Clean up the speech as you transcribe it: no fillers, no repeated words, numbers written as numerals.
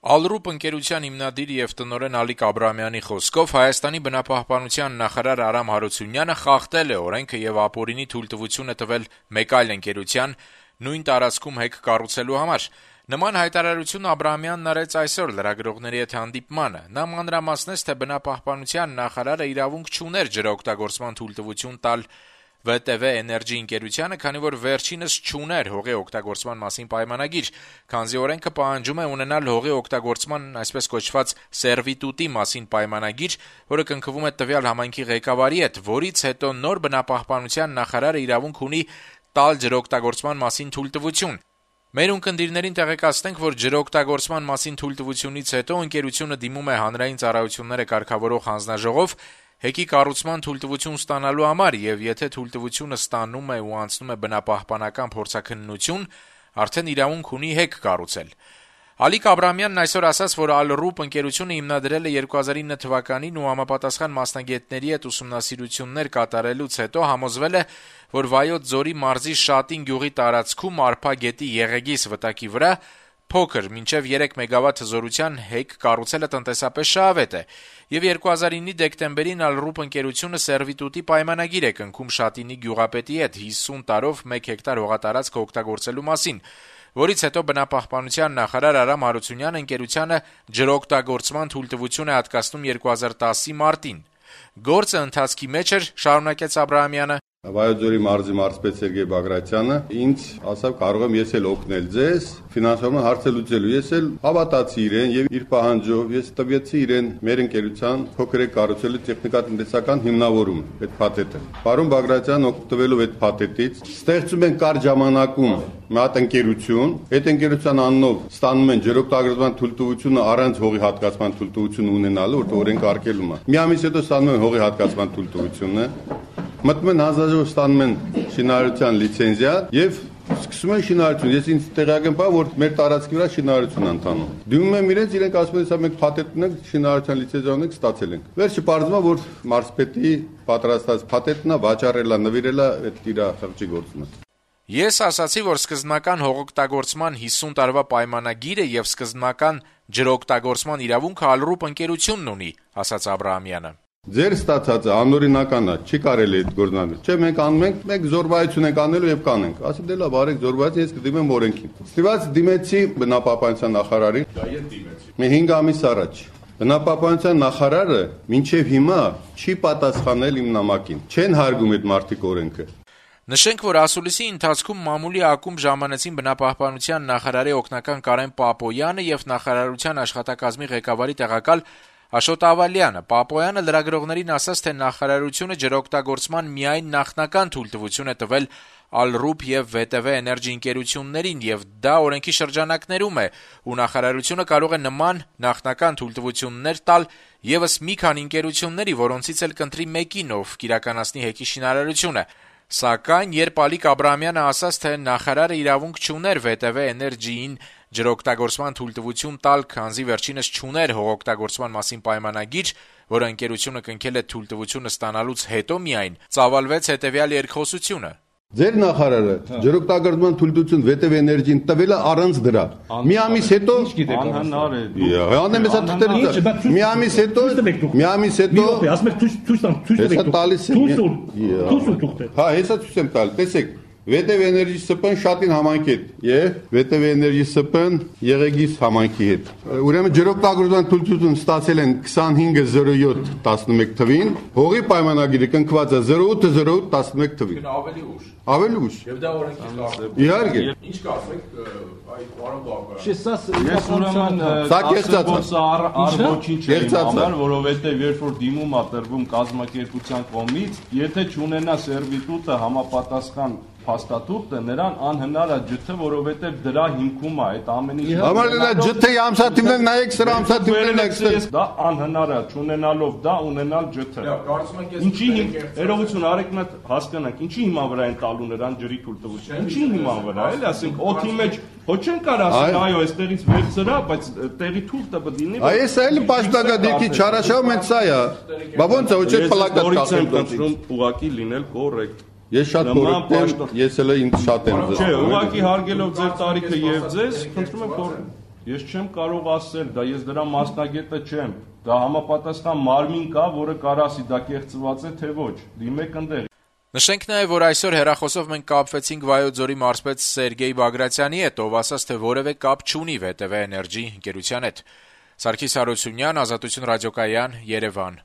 Ալրուպ ընկերության հիմնադիր եւ տնօրեն Ալիկ Աբրահամյանի խոսքով Հայաստանի բնապահպանության նախարար Արամ Հարությունյանը խախտել է օրենքը եւ ապօրինի թույլտվություն է տվել մեկ այլ ընկերության նույն տարածքում հեկ կառուցելու համար։ Նման հայտարարություն Աբրահամյանն արեց այսօր լրագրողների հետ հանդիպմանը։ Նա մանրամասնեց, թե բնապահպանության նախարարը իրավունք չուներ ջրօգտագործման թույլտվություն տալ ՎՏՎ Էներգի ընկերությանը, քանի որ վերջինս չուներ հողի օգտագործման մասին պայմանագիր, քանզի օրենքը պահանջում է ունենալ հողի օգտագործման այսպես կոչված սերվիտուտի մասին պայմանագիր, որը կնքվում է տվյալ համայնքի ղեկավարի հետ, որից հետո նոր բնապահպանության նախարարը իրավունք ունի տալ ջրօգտագործման մասին թույլտվություն։ Մեր ունկնդիրներին տեղեկացնենք, որ ջրօգտագործման մասին թույլտվությունից հետո ընկերությունը դիմում է հանրային ծառայությունները կարգավորող հանձնաժողով հեկի կառուցման թույլտվություն ստանալու համար, եւ եթե թույլտվությունը ստանում է ու անցնում է բնապահպանական փորձաքննություն, արդեն իրավունք ունի հեկ կառուցել։ Ալիկ Աբրահամյանն այսօր ասաց, որ Ալրուպ ընկերությունը հիմնադրել է 2009 թվականին ու համապատասխան մասնագետների հետ ուսումնասիրություններ կատարելուց հետո համոզվել է, որ Վայոց ձորի մարզի Շատին գյուղի տարածքում Արփա գետի Եղեգիս վտակի վրա փոքր մինչև 3 մեգավատ հզորության հեկ կառուցելը տնտեսապես շահավետ է, եւ 2009-ի դեկտեմբերին Ալրուպ ընկերությունը սերվիտուտի պայմանագիր է կնքում Շատինի գյուղապետի հետ 50 տարով 1 հեկտար հողատարածք օգտագործելու մասին, որից հետո բնապահպանության նախարար Արամ Հարությունյանը ընկերությանը ջրօգտագործման թույլտվություն է հատկացնում 2010-ի մարտին։ Գործը ընթացքի մեջ էր, շարունակեց Աբրահամյանը։ Վայոց ձորի մարզի մարզպետ Սերգեյ Բագրատյանը ինձ ասավ կարող եմ ես էլ օգնել ձեզ ֆինանսավորման հարցը լուծելու։ Ես էլ հավատացի իրեն եւ իր պահանջով ես տվեցի իրեն մեր ընկերության փոքրիկ կառուցելու տեխնիկատնտեսական հիմնավորում այդ փաթեթը։ Պարոն Բագրատյանն օգտվելով այդ փաթեթից ստեղծում են կարճ ժամանակում մի հատ ընկերություն, այդ ընկերության անունով ստանում են ջրօգտագործման թույլտվությունը առանց հողի հատկացման թույլտվություն ունենալու, որտեղ օրենք արկելում է։ Մի ամիս հետո ստանում են հողի հատկացման թույլտվությունը, մտնում են հանձնաժողով ստանում են շինարարության լիցենզիա եւ սկսում են շինարարություն։ Ես ինձ տեղյակ եմ, որ մեր տարածքի վրա շինարարություն ընթանում։ Դիմում եմ իրենց, իրենք ասում են, հա մենք փաթեթ ունենք, շինարարության լիցենզիա ունենք, ստացել ենք։ Վերջը պարզվում է, որ մարզպետի պատրաստած փաթեթն է, վաճառելա, նվիրելա այդ իր խղճի գործումը։ Ես ասացի, որ սկզբնական հողօգտագործման 50 տարվա պայմանագիրը եւ սկզբնական ջրօգտագործման իրավունքը Ալրուպ ընկերությունն ունի, ասաց Աբրահամյանը։ Ձեր ստացածը անօրինական է, չի կարելի այդ գործանել։ Չէ, մենք անում ենք, մենք զորվայություն ենք անելու եւ կանենք։ Ասի դե լավ, արեք զորվայություն, ես կդիմեմ օրենքին։ Ստիված դիմեցի բնապահպանության նախարարին։ Դա ես դիմեցի։ Մի 5 ամիս առաջ։ Բնապահպանության նախարարը մինչեւ հիմա չի պատասխանել իմ նամակին։ Չեն հարգում այդ մարտիկ օրենքը։ Նշենք, որ ասուլիսի ընթացքում մամուլի ակումբ ժամանեցին բնապահպանության նախարարի օգնական Կարեն Պապոյանը եւ նախարարության աշխատակազմի ղեկավարի տեղակալ Աշոտ Ավալյանը։ Պապոյանը լրագրողներին ասաց, թե նախարարությունը ջրօգտագործման միայն նախնական թույլտվություն է տվել Ալրուպ եւ ՎՏՎ Էներգի ընկերություններին եւ դա օրենքի շրջանակներում է, ու նախարարությունը կարող է նման նախնական թույլտվություններ տալ եւս մի քանի ընկերությունների, որոնցից էլ կընտրի մեկին, ով կիրականացնի հեկի շինարարությունը։ Սակայն երբ Ալիկ Աբրահամյանը ասաց, թե նախարարը իրավունք չուներ ՎՏՎ Էներգիին ջրօգտագործման թույլտվություն տալ, քանզի վերջինս չուներ հողօգտագործման մասին պայմանագիր, որը ընկերությունը կնքել է թույլտվությունը ստանալուց հետո միայն, ծավալվեց հետեւյալ երկխոսությունը։ Ձեր նախարարը ջրօգտագործման թույլտվություն ՎՏՎ Էներգիին տվել է առանց դրա։ Մի ամիս հետո անհնար է։ Հանդեմ էսա թղթերը։ Մի ամիս հետո ասում եք ցույց տալիս եմ։ Հա, հեսա ցույց եմ տալ։ Տեսեք, ՎՏՎ Էներգի ՍՊ-ն Շատին համայնքի հետ եւ ՎՏՎ Էներգի ՍՊ-ն Եղեգիս համայնքի հետ։ Ուրեմն ջրօգտագործման թույլտվություն ստացել են 25/07/11 թվին, հողի պայմանագիրը կնքված է 08/08/11 թվին։ Ավելի ուշ։ Եվ դա օրենքի խախտում։ Իհարկե։ Ինչ կասեք, այ պարոն Բաղարյան։ Ես ուրեմն սա կեղծած ոչինչ չեմ համար, որովհետեւ երբ որ դիմում է տրվում կազմակերպության կողմից, եթե չունենա սերվիտուտը համապատասխան փաստաթուղթը, նրան անհնար է ջթը, որովհետեւ դրա հիմքում է այդ ամեն ինչը։ Համար դա ջթի ամսաթիվներ նայեք, սրա ամսաթիվներն եք։ Դա անհնար է, չունենալով դա ունենալ ջթը։ Ինչի երողություն արեք նա հասկանանք, ինչի հիման վրա են տալու նրան ջրի թույլտվություն։ Ինչի հիման վրա, էլի ասենք օդի մեջ ոչ չեն կարող ասել, այո, այստեղից վերցրա, բայց տեղի թուղթը պետք լինի։ Այս էլի պաշտպանական չարաշահում են սա է։ Բա ոնց է, ոչ պլակատ կախել։ Ուղղակի լինել կոռեկտ։ Ես շատ կոռեկտ եմ, ես էլ ինձ շատ եմ ձգում։ Չէ, ուղղակի հարգելով ձեր տարիքը եւ ձեզ, խնդրում եմ կոռեկտ։ Ես չեմ կարող ասել, դա ես դրա մասնագետը չեմ։ Դա համապատասխան մարմին կա, որը կարող ասի դա կեղծված է, թե ոչ։ Դիմեք ընդեղ։ Նշենք նաև, որ այսօր հեռախոսով մենք կապվեցինք Վայոց ձորի մարզպետ Սերգեյ Բագրատյանի հետ, ով ասաց, թե որևէ կապ չունի VTV Էներգի ընկերության հետ։ Սարգիս Հարությունյան, Ազատություն ռադիոկայան, Երևան։